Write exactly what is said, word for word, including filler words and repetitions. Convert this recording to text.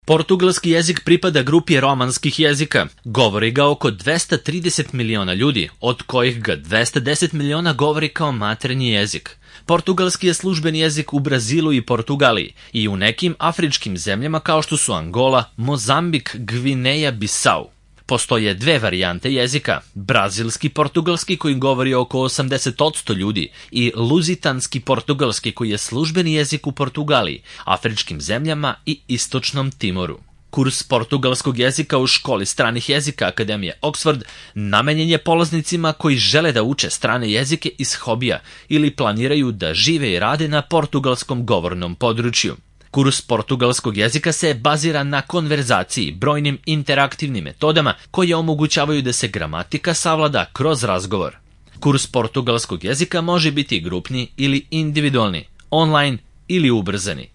Portugalski jezik pripada grupi romanskih jezika. Govori ga oko dvesta trideset miliona ljudi, od kojih ga dvesta deset miliona govori kao maternji jezik. Portugalski je službeni jezik u Brazilu i Portugaliji i u nekim afričkim zemljama kao što su Angola, Mozambik, Gvineja, Bisau. Postoje dve varijante jezika, brazilski portugalski koji govori oko osamdeset posto ljudi i luzitanski portugalski koji je službeni jezik u Portugaliji, afričkim zemljama i istočnom Timoru. Kurs portugalskog jezika u školi stranih jezika Akademije Oxford namenjen je polaznicima koji žele da uče strane jezike iz hobija ili planiraju da žive i rade na portugalskom govornom području. Kurs portugalskog jezika se bazira na konverzaciji, brojnim interaktivnim metodama koje omogućavaju da se gramatika savlada kroz razgovor. Kurs portugalskog jezika može biti grupni ili individualni, online ili ubrzani.